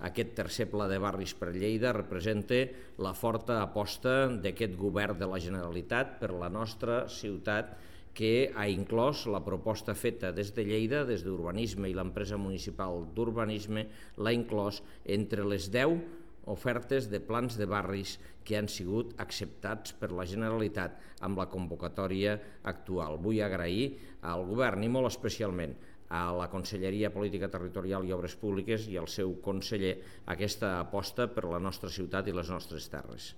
aquest tercer pla de barris per Lleida representa la forta aposta d'aquest govern de la Generalitat per la nostra ciutat, que ha inclòs la proposta feta des de Lleida, des d'Urbanisme i l'empresa municipal d'Urbanisme, l'ha inclòs entre les 10 ofertes de plans de barris que han sigut acceptats per la Generalitat amb la convocatòria actual. Vull agrair al govern i molt especialment a la Conselleria Política Territorial i Obres Públiques i al seu conseller aquesta aposta per la nostra ciutat i les nostres terres.